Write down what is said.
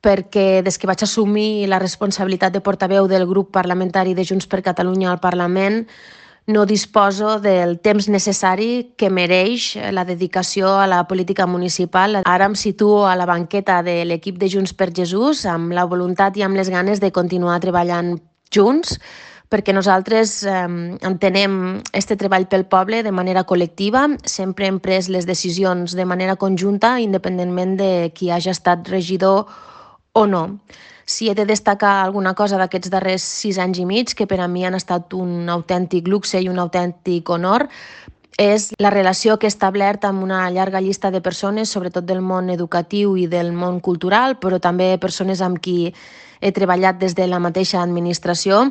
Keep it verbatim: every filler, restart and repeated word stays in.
perquè des que vaig assumir la responsabilitat de portaveu del grup parlamentari de Junts per Catalunya al Parlament no disposo del temps necessari que mereix la dedicació a la política municipal. Ara em situo a la banqueta de l'equip de Junts per Jesús amb la voluntat i amb les ganes de continuar treballant junts, perquè nosaltres eh, entenem este treball pel poble de manera col·lectiva, sempre hem pres les decisions de manera conjunta, independentment de qui hagi estat regidor o no. Si he de destacar alguna cosa d'aquests darrers sis anys i mig, que per a mi han estat un autèntic luxe i un autèntic honor, és la relació que he establert amb una llarga llista de persones, sobretot del món educatiu i del món cultural, però també persones amb qui he treballat des de la mateixa administració